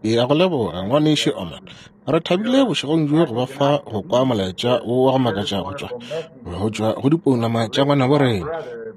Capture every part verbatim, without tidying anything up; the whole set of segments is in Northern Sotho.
Ke a go leboga, ngwanešu Oman. Re thabile bošegong bjo go ba fa go kwa molaetša wo wa go makatša go tšwa go tšwa go dipounama tša ngwanabo rena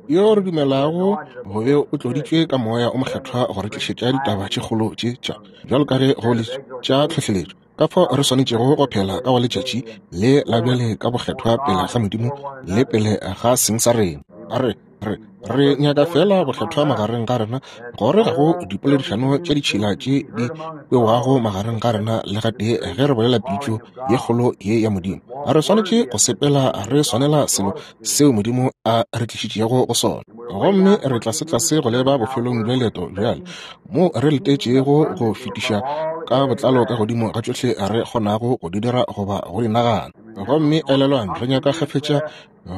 yo re dumelago go be o tloditšwe ka moya o mokgethwa go re tlišetša ditaba tše kgolo tše tša bjalo ka ge go le tša tlhohleletšo ka fao re swanetšego go phela ka go letšatši le la bjale ka bokgethwa pele ga Modimo le pele ga seng sa rena. Re re re nyaka fela bokgethwa magareng ga rena, gore ga go dipoledišano tša ditšhila tše di kwewago magareng ga rena le gatee ge re bolela pitšo ye kgolo ye ya Modimo. Re swanetše go sepela re swanela selo seo Modimo a re tlišitšego go sona. Gomme re tlasetlase go leba bofelong bja leeto bjale, mo re letetšego go fetiša ka botlalo ka godimo ga tšohle re kgonago go di dira goba go di nagana. Gomme elelwang, re nyaka kgafetša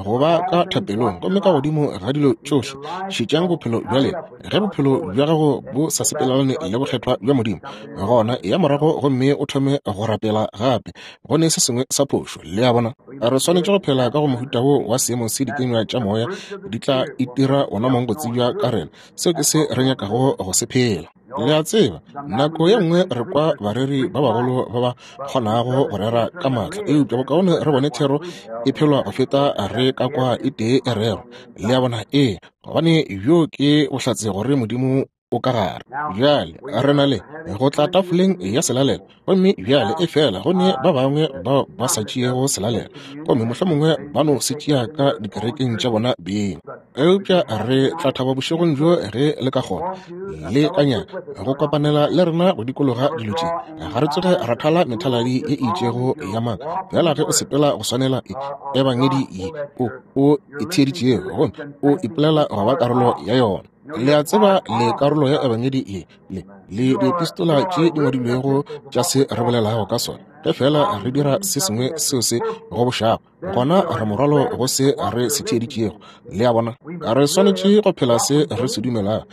go ba ka thapelong, gomme ka godimo ga dilo tšohle šetšang bophelo bja lena. Ge bophelo bja gago bo sa sepelelane le bokgethwa bja Modimo, gona ya morago gomme o thome go rapela gape. Go ne se sengwe sa phošo, le a bona. Re swanetše go phela ka go mohuta wo wa seemo se dikenywa tša moya di tla itira ona mong go tsebja ka rena. Seo ke se re nyakago go se phela. Le a tseba, nako ye nngwe re kwa bareri ba bagolo ba ba kgonago go rera ka maatla, eupša bokaone re bone thero e phelwa go feta re ka kwa e tee e rerwa. Le a bona? Ee, gobane bjo ke bohlatse gore Modimo o ka gare. Bjale re na le go tla tafoleng ya selalelo, gomme bjale e fela go ne ba bangwe bao ba sa tšeego selalelo, gomme mohlomongwe ba no se tšea ka dikerekeng tša bona beng. Eupša re tla thaba bošegong bjo ge le ka kgona le ka nyaka go kopanela le rena go dikologa dilo tše. Ga re tsoge ra thala methaladi ye e itšego ya maaka, fela ge o sepela go swanela e ebangedi ye o o e theeditšego, gomme o ipolela go ba karolo ya yona. Le a tseba, le karolo ya ebangedi ye le le diepistola tše di ngwadilwego tša se re bolelago ka sona. Ge fela re dira se sengwe seo se gobošago, gona re morwalo go se re se theeditšego. Le a bona? Re swanetše go phela se re se dumelago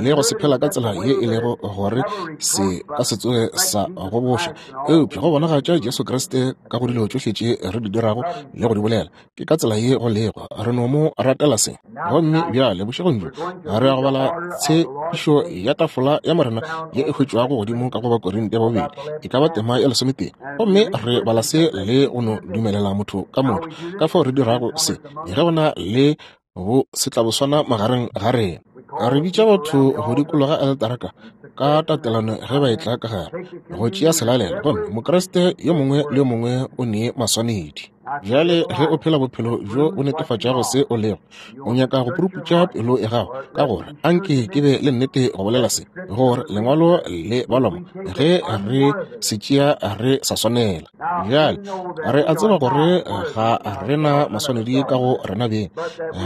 le go se phela ka tsela ye e lego gore se ka se tsoge sa goboša, eupša go bonagatša Jesu Kriste ka go dilo tšohle tše re di dirago le go di bolela. Ke ka tsela ye go lego, re no mo ratela se. Gomme bjale bošegong bjo re ya go bala tshepišo ya tafola ya Morena ye e hwetšwago godimo ka go Bakorinte ba bobedi, e ka ba tema ya lesometee. Gomme re bala se le go no dumelela motho ka motho ka fao re dirago se ge go na le bo setlaboswana magareng ga rena. Re bitša batho go dikologa aletara ka ka tatelano ge ba etla ka gare go tšea selalelo, gomme Mokriste yo mongwe le yo mongwe o ne maswanedi. Bjale ge o phela bophelo bjo bo netefatšago se o lego, o nyaka go puruputša pelo ya gago, ka gore anke ke be le nnete go bolela se, gore lengwalo le balwa mo ge re se tšea re sa swanela. Bjale re a tseba gore ga re na maswanedi ka go rena beng,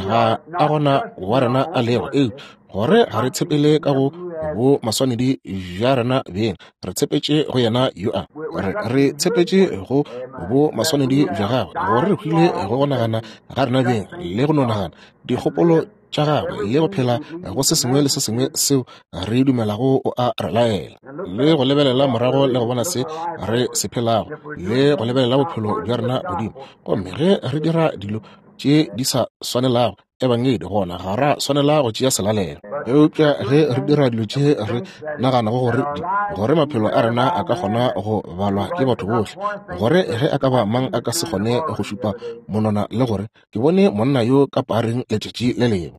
ga a gona wa rena a lego, eupša gore ga re tshepele ka go bo maswanedi bja rena beng, re tshepetše go yena yo a re re tshepetše go bo maswanedi bja gagwe, gore re hwile go go nagana ga rena beng le go no nagana dikgopolo tša gagwe le go phela go se sengwe le se sengwe seo re dumelago o a re laela, le go lebelela morago le go bona se re se phelago le go lebelela bophelo bja rena godimo. Gomme ge re dira dilo tše di sa swanelago ebangedi, gona ga ra swanela go tšea selalelo. Eupša ge re dira dilo tše re naganago gore gore maphelo a rena a ka kgona go balwa ke batho bohle, gore ge a ka ba mang a ka se kgone go šupa monwana le gore ke bone monna yo ka pareng letšatši le lengwe,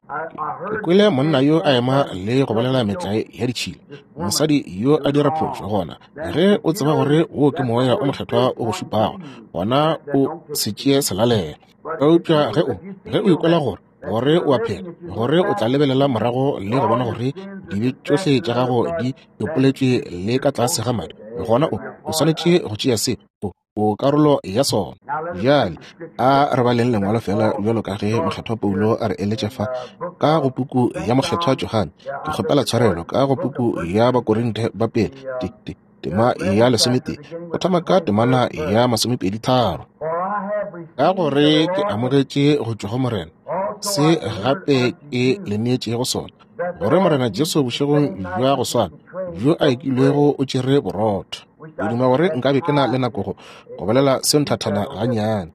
ke kwele monna yo a ema le go bolela metlae ya ditšhila, mosadi yo a dira phošo, gona ge o tseba gore wo ke moya o mokgethwa o go šupago, gona o se tšee selalelo. Eupša ge o ge o ikwela gore gore o a phela, gore o tla lebelela morago le go bona gore dibe tšohle tša gago di ipoletšwe le ka tlase ga madi, gona o o swanetše go tšea se, o o karolo ya sona. Bjale a re baleng lengwalo fela bjalo ka ge mokgethwa Paulo a re eletša fa ka go puku ya mokgethwa Johane. Ke kgopela tshwarelo, ka go puku ya Bakorinte ba pele tema ya lesometee, go thoma ka temana ya masomepedi tharo. Ka gore ke amogetše go tšwa go Morena se gape ke le neetšego sona, gore Morena Jesu bošegong bja go swana bjo a ekilwego o tšere borotho. Ke duma gore nkabe ke na le nako go go bolela se nthathana gannyane.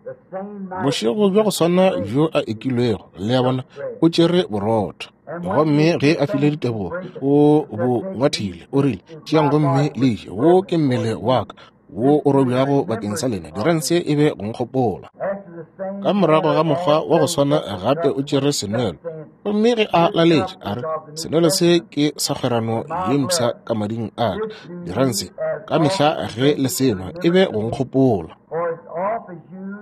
Bošego bja go swana bjo a ekilwego, le a bona, o tšere borotho. Gomme ge a file ditebogo, o bo ngwathile, o rile, tšeang gomme le je, wo ke mmele wa ka wo o robjago bakeng sa lena, dirang se e be go nkgopola. Ka morago ga mokgwa wa go swana gape o tšere senwelo, gomme ge a laletše a re, senwelo se ke sa kgwerano ye mpsha ka mading a ka, dirang se ka mehla ge le senwa e be go nkgopola.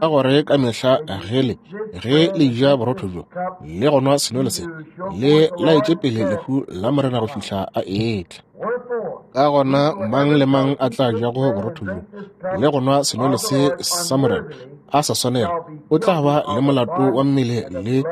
Ka gore ka mehla ge le ge le ja borotho bjo le go nwa senwelo se, le laetše pele lehu la Morena go fihla a etla. Ka gona mang le mang a tla jago borotho bjo le go nwa senwelo se sa Morena a sa swanela, o tla ba le molato wa mmele le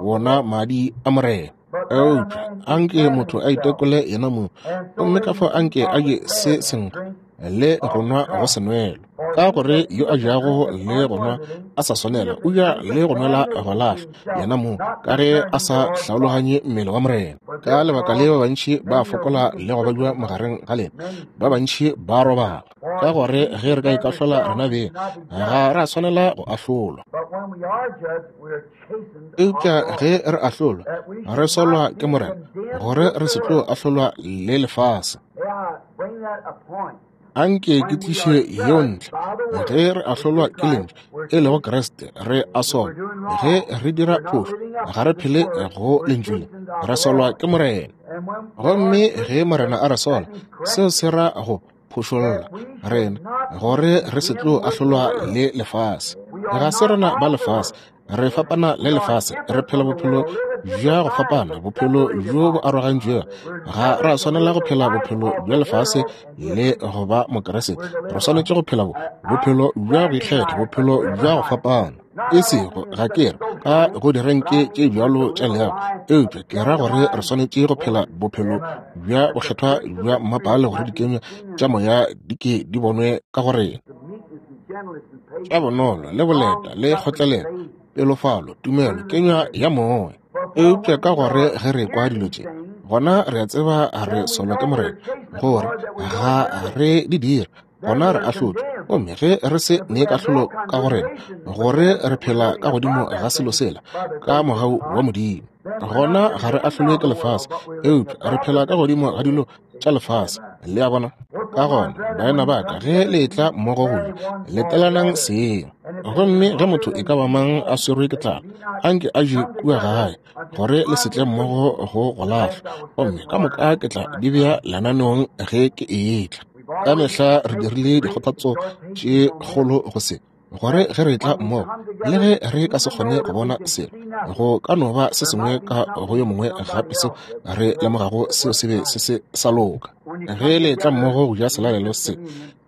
wona madi a Morena. Eupša anke motho a itekole yena mong, gomme ka fao anke a je se senkgwa le go nwa go senwelo. Ka gore yo a jago le go nwa a sa swanela, o ja le go nwela go lahlwa yena mong, ka ge a sa hlaologanye mmele wa Morena. Ka lebaka le ba bantši ba fokola le go babja magareng ga lena, ba bantši ba robala. Ka gore ge re ka ikahlola rena beng, ga ra swanela go ahlolwa. Eupša ge re ahlolwa, re solwa ke Morena, gore re se tlo ahlolwa le lefase. Anke ke tliše yeo ntle. Ge re ahlolwa ke lentšu, e lego Kriste, re a solwa. Ge re dira phošo, ga re phele go lentšu le, re solwa ke Morena. Gomme ge Morena a re sola, seo se ra go phošolla rena, gore re se tlo ahlolwa le lefase. Ga se rena ba lefase, re fapana le lefase, re phela bophelo bja go fapana, bophelo bjo bo arogantšwego. Ga ra swanela go phela bophelo bja lefase le go ba Mokriste. Re swanetše go phela bophelo bja go ikgetha, bophelo bja go fapana. E sego ga ke re ka go direnke tše bjalo tša leago, eupša ke ra gore re swanetše go phela bophelo bja bokgethwa bja mmapale, gore dikenywa tša moya di ke di bonwe ka go rena. Tša bonolo le boleta le kgotlelelo, pelofalo, tumelo, kenywa ya moya. Eupša ka gore ge re kwa dilo tše, gona re a tseba re solwa ke Morena, gore ga re di dire, gona re ahlotšwe. Gomme ge re se ne kahlolo ka go rena, gore re phela ka godimo ga selo sela ka mogau wa Modimo, gona ga re ahlolwe ke lefase, eupša re phela ka godimo ga dilo tša lefase. Le a bona? Ka gona, baena ba ka, ge le etla mmogo go ja, letelanang seng. Gomme ge motho e ka ba mang a swerwe ke tlala, anke a je kua gae, gore le se tle mmogo go go lahlwa. Gomme ka moka ke tla di bea lenaneong ge ke etla. Ka mehla re dirile dikgothatso tše kgolo go se, gore ge re tla mmogo, le ge re ka se kgone go bona selo, go ka no ba se sengwe ka go yo mongwe gape seo re lemogago seo se be se se sa loka. Ge le tla mmogo go ja selalelo se,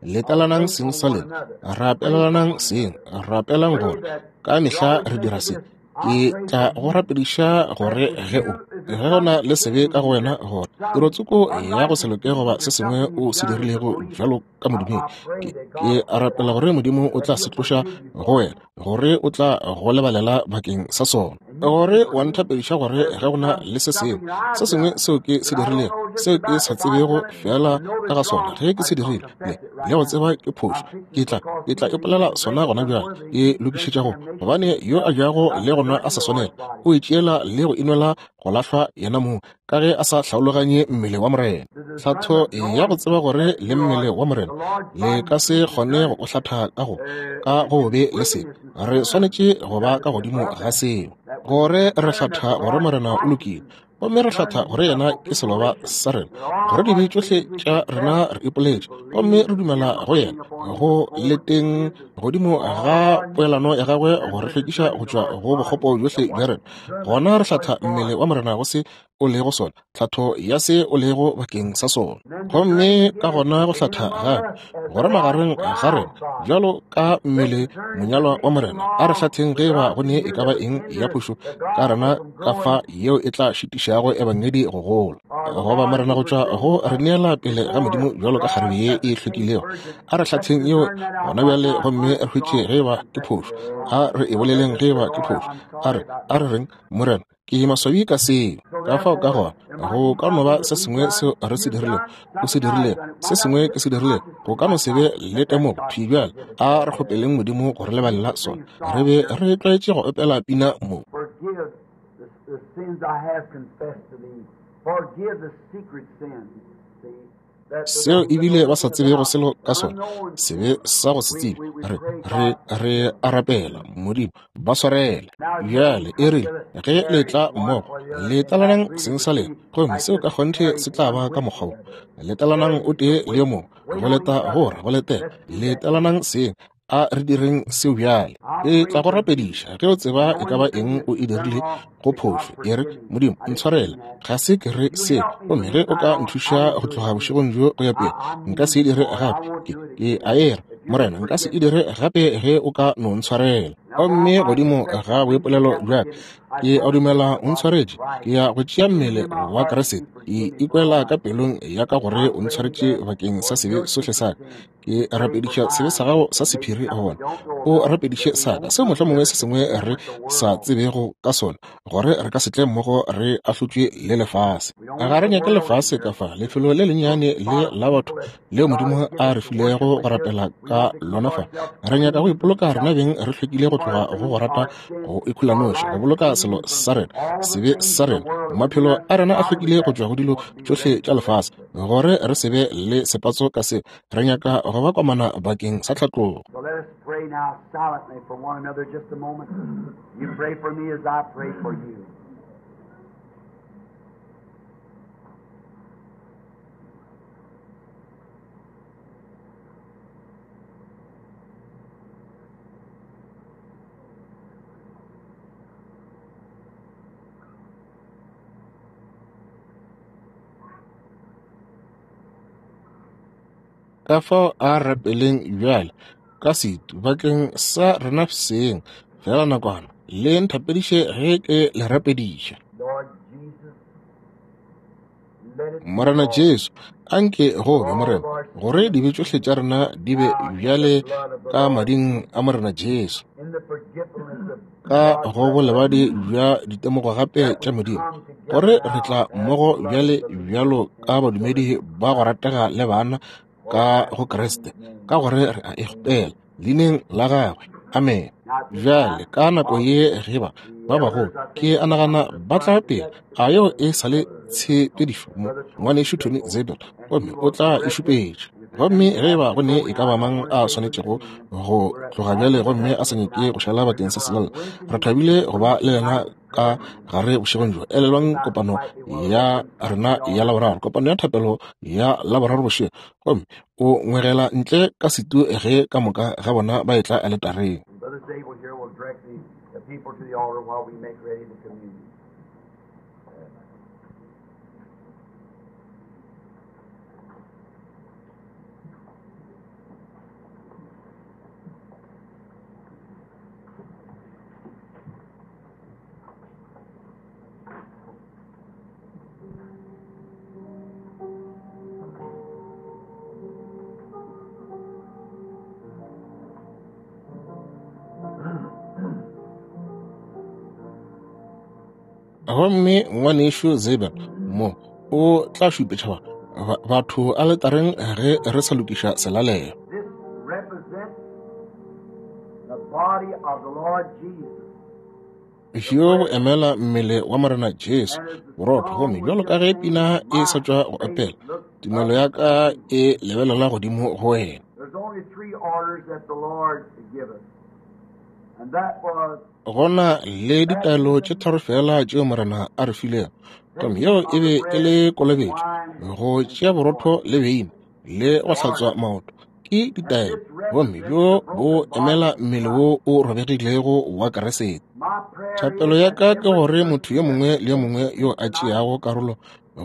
letelanang seng sa lena, rapelelanang seng, rapelang gore ka mehla re dira se. Ke tla go rapediša gore ge o ge go na le sebe ka go wena, gore tirotsoko ya go se loke goba se sengwe o se dirilego bjalo ka modumedi, ke, ke rapela gore Modimo o tla se tloša go wena, gore o tla go lebalela bakeng sa sona. Gore wa nthapediša gore ge go na le se sengwe se sengwe seo ke se dirilego, seo ke sa tsebego fela ka ga sona, ge ke se dirile le le go tseba ke phošo, ke tla ke tla ipolela sona gona bjale, ke lokišetša go, gobane yo a jago le go nwa a sa swanela, o itšeela le go inwela go lahlwa yena mong, ka ge a sa hlaologanye mmele wa Morena. Hlatho ya go tseba gore le mmele wa Morena le ka se kgone go o hlatha ka go ka go be le sebe, re swanetše go ba ka godimo ga seo, gore re hlatha gore Morena o lokile, gomme re hlatha gore yena ke seloba sa rena, gore dibe tšohle tša rena re ipoletše, gomme re dumela go yena go leteng godimo ga poelano ya gagwe go re hlwekiša go tšwa go bokgopo bjohle bja rena. Gona re hlatha mmele wa Morena go se o lego sona, tlhatho ya se o lego bakeng sa sona. Gomme ka gona go hlatha gape gore magareng ga rena bjalo ka mmele monyalwa wa Morena, a re hlatheng ge ba go ne e ka ba eng ya phošo ka rena ka fa yeo e tla šitišago ebangedi go gola, goba Morena go tšwa go re neela pele ga Modimo bjalo ka kgarebe ye e hlwekilego. A re hlatheng yeo gona bjale, gomme re hwetše ge ba ke phošo. A re e boleleng ge ba ke phošo. A re a re reng, Morena, ke maswabi ka seo. Ka fao ka gona go ka no ba se sengwe seo re se dirilego, o se dirilego, se sengwe ke se dirilego, go ka no se be le temogo thwi bjale. A re kgopeleng Modimo go re lebalela sona. Re be re tlwaetše go opela pina mo. the sins I have confessed to thee. Forgive the secret sins. See, that the Seo ones that ebile don't ba sa think tsebego about, selo the ka sona, unknown sebe sins. sa go se We, tsebe. we, we Re pray, re God, re a rapela, Modimo, ba swarele. now as we Bjale e come rile together, ge le carry tla one mmogo, for the other, le and I tlalanang really seng would sa lena, be gomme like seo ka just kgonthe carry se tla one ba ka with mokgwa the wo. other. Le tlalanang Carry o tee the le yo weight. mongwe, Wait go on each leta other. gore go letela. Let's do Le that. tlalanang seng, a re direng seo bjale. I Ke pray tla go for you, rapediša ge o tseba e ka knowing ba the thing eng that o e you've done dirile wrong, go that God phošo. E re, forgive me. Modimo, I didn't mean ntshwarele, that. ga se ke re You seo. help me Gomme from ge this o night ka on, I nthuša won't go do it tloga again. bošegong bjo go ya I, pele, I nka mean se e it, dire Lord. I gape. won't Ke do it ke again. a era, If you just Morena, nka se forgive e me. dire gape ge o ka no ntshwarela. Now, while Gomme my godimo confession ga please boipolelo accept bja ka, forgiveness, I ke a come dumela to o the body of ntshwaretše. Christ. Ke ya go tšea Feeling mmele in my wa heart that Kriste. you Ke forgive me for all ikwela my ka sins. pelong ya ka I gore o pray ntshwaretše that bakeng sa for sebe your sohle secret sa ka. sins, Ke you pray for rapediša sebe sa mine gago sa that may be sephiri something we gona. don't know O about, rapediše that we sa ka won't seo come mohlomongwe together se sengwe condemned re with the sa world. tsebego ka sona, gore re ka se tle mmogo re ahlotšwe le lefase. We don't Ga want re the nyake world lefase here. ka fa lefelo le Those lennyane le spot of la batho people that leo God Modimo has given a re us to worship filego go with here. rapela We ka want to keep lona fa. ourselves Re nyaka go clean from ipoloka rena self, beng re hlwekile go keep tloga our go go things, rata our sins, go our ikhulanoši, go lives boloka clean selo from sa rena, all the sebe things sa of the rena. world that would Maphelo be a rena a ungodly hlwekile go that tšwa go dilo want to be tšohle ready tša for the lefase, rapture. gore re se be le sepatso ka seo. Re nyaka go ba komana bakeng sa tlhatlogo. So let us pray now silently for one another just a moment. You pray for me as I pray for you. Ka fao a rapeleng bjale ka setu bakeng sa rena seng fela nakwana, le nthapediše ge ke le rapediša. Lord Jesus, let it be, Morena Lord, Jesu, anke go for be all Morena, of our gore sins dibe tšohle tša rena di be now in the bjale blood of the ka Lord mading Jesus, a Morena Jesu, in the forgiveness of ka God's go bolebadi resurrection, bja ditemogo gape that tša we Modimo, come together gore re now tla as mmogo beloved bjale believers bjalo ka and badumedi children of ba go God. ratega le bana For ka we go ask it in Kriste, His name. ka gore re a Amen. ikgopela leineng la gagwe. Amen. Now at this Bjale time, ka nako while ye ge ba the ba bagolo elders, I ke think, a will come nagana to the ba tla front, is pele, that a yeo Brother, e sa le Brother, tshepedišo mo Brother Tony ngwanešu Tony Zabel, Zabel, and he gomme o will tla e direct it. šupetša. And if there's Gomme any ge has ba to go ne go e ka now, I ba don't mang want to a stay for the swanetšego communion. go We're tloga happy bjale to gomme have a you sa here nyake tonight. go šala bakeng sa Remember selalelo, on Wednesday re thabile go ba le Wednesday lena night ka prayer meeting. gare bošegong bjo. Elelwang About kopano slightly while the ya reverend comes to rena the ya altar. Laboraro, kopano ya thapelo ya Laboraro bošego, gomme o ngwegela ntle ka setu ge ka moka ga bona ba etla aletareng. And Brother Zabel here will direct the, the people to the altar while we make ready the communion. Gomme ngwanešu Zabel mo o tla šupetša ba ba- batho aletareng ge re sa lokiša selalelo. This represents the body of the Lord Jesus, the Bjo bo bread. emela mmele wa Morena Jesu, And as the borotho. song Gomme was bjalo ka just ge singing, pina e sa my tšwa go faith opela, looks tumelo up ya ka to thee. e lebelela godimo go wena. There's only three orders that the Lord gave us, and that was Gona le ditaelo tše baptism, tharo fela tšeo Morena a re filego, gomme taking yeo e of the be e bread, le kolobetšo, wine, go and tšea borotho water. le beine, le go hlatswa Orders. maoto. Ke And ditaelo, this gomme represents bjo the bo broken body emela of mmele Christ. wo o robegilego wa Kriste. My prayer Thapelo is ya that ka ke every gore motho yo person that mongwe le yo takes mongwe yo in a tonight tšeago karolo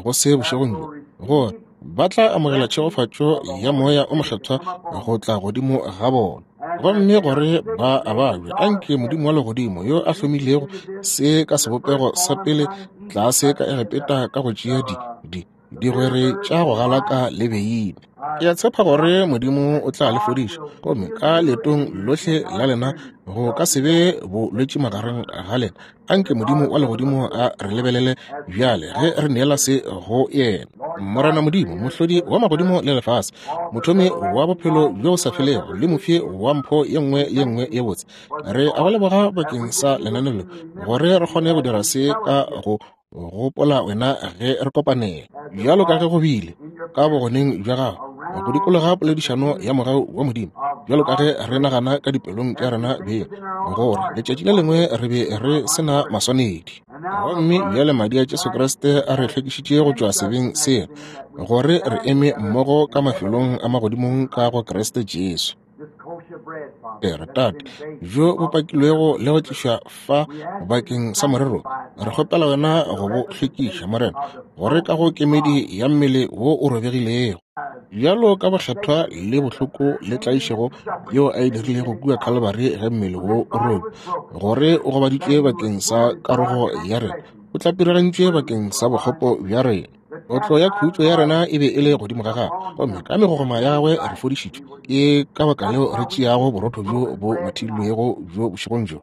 go se that bošegong will bjo, gore receive ba tla the amogela blessing tšhegofatšo of the ya Holy Moya o Spirit to Mokgethwa come upon go them. tla godimo ga bona. And that Gomme they are gore sick, ba a may the babje, God of anke Modimo wa heaven legodimo yo who a hlomilego instituted this se ka in the first sebopego sa form pele down in Egypt tlase by ka taking the Egepeta ka go the, tšea di uh, di the bitter digwere herbs tša go and galaka wine, le beine, uh, Ke a tshepa gore Modimo o tla le fodiša, gomme ka leetong lohle la lena go ka se be bolwetši magareng ga lena. Anke Modimo wa legodimo a re lebelele bjale ge re neela se go yena. Morena Modimo, mohlodi wa magodimo le lefase, mothomi wa bophelo bjo bo sa felego le mofi wa mpho ye nngwe le ye nngwe ye botse, re a go leboga bakeng sa lenaneo le gore re kgone go dira se ka go gopola wena ge re kopanela, bjalo ka ge go bile ka bogoneng bja gago, go dikologa poledišano ya mogau wa Modimo, bjalo ka ge re nagana ka dipelong tša rena beng gore letšatši le lengwe re be re se na maswanedi. Gomme bjale madi a Jesu Kriste a re hlwekišitše go tšwa sebeng sela, gore re eme mmogo ka mafelong a magodimong ka go Kriste Jesu. Re Tate, bjo bo pakilwego le go tlišwa fa bakeng sa morero, re kgopela wena go bo hlwekiša, Morena, gore ka go kemedi ya mmele wo o robegilego, bjalo ka bokgethwa le bohloko le tlaišego yeo a e dirilego kua Calvary ge mmele wo o robe, gore o gobaditšwe bakeng sa karogo ya rena, o tlapirigantšwe bakeng sa bokgopo bja rena. Kotlo ya khutšo ya rena e be e le godimo ga gagwe, gomme ka megogoma ya gagwe re fodišitšwe. Ke ka baka leo re tšeago borotho bjo bo ngwathilwego bjo bošegong bjo.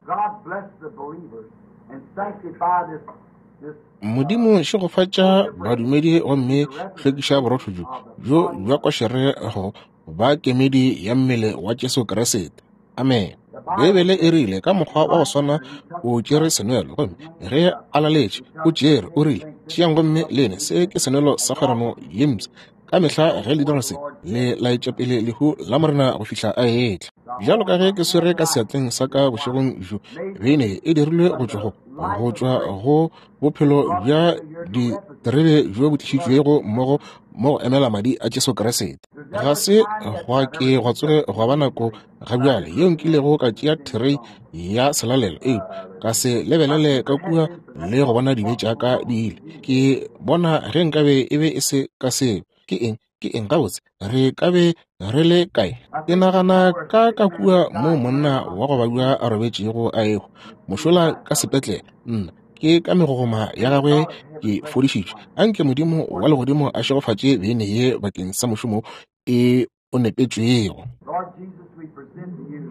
Modimo šegofatša badumedi gomme hlwekiša borotho bjo bjo bja košere go ba kemedi ya mmele wa Jesu Kriste. Amen. Beibele e rile ka mokgwa wa go swana o tšere senwelo, gomme ge a laletše o tšere, o rile, tšeang gomme lene, se ke senwelo sa kgwerano ye mpsha. Ka mehla ge le dira se, le laetša pele lehu la Morena go fihla a etla. Bjalo ka ge ke swere ka seatleng sa ka bošegong bjo, beine e dirilwe go tšwa go go tšwa go bophelo bja diterebe bjo bo tlišitšwego mmogo mo go emela madi a Jesu Kriste. Ga se gwa ke gwa tsoge gwa ba nako ga bjale yeo nkilego ka tšea therei ya selalelo, eupša ka se lebelele ka kua le go bona dibe tša ka di ile. Ke bona ge nkabe e be e se ka seo. Ke eng? Ke eng gabotse? Re ka be re le kae? Ke nagana ka ka kua mo monna wa go babja a robetšego a ehwa mošola ka sepetlele. Nna ke ka megogoma ya gagwe ke fodišitšwe. Anke Modimo wa legodimo a šegofatše beine ye bakeng sa mošomo e o nepetšwego.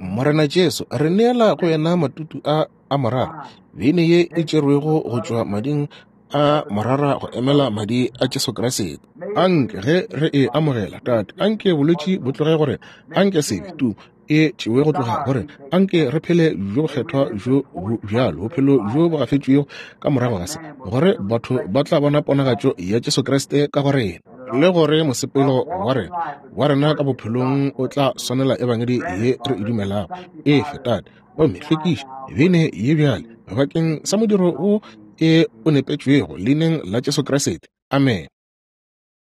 Morena Jesu, re neela go yena matutu a a morara, beine ye e tšerwego go tšwa mading a morara go emela madi a Jesu Kriste. Anke ge re e amogela, Tate, anke bolwetši bo tloge gore, anke sebe tu e tšewe go tloga gore, anke re phele bjo bokgethwa bjo bo bjalo, bophelo bjo bo gafetšwego ka morago ga se, gore batho ba tla bona ponagatšo ya Jesu Kriste ka go rena, le gore mosepelo wa rena wa rena ka bophelong o tla swanela ebangedi ye re e dumelago. Efe, Tate, gomme hlwekiša beine ye bjale bakeng sa modiro wo e o nepetšwego leineng la Jesu Kriste. Amen.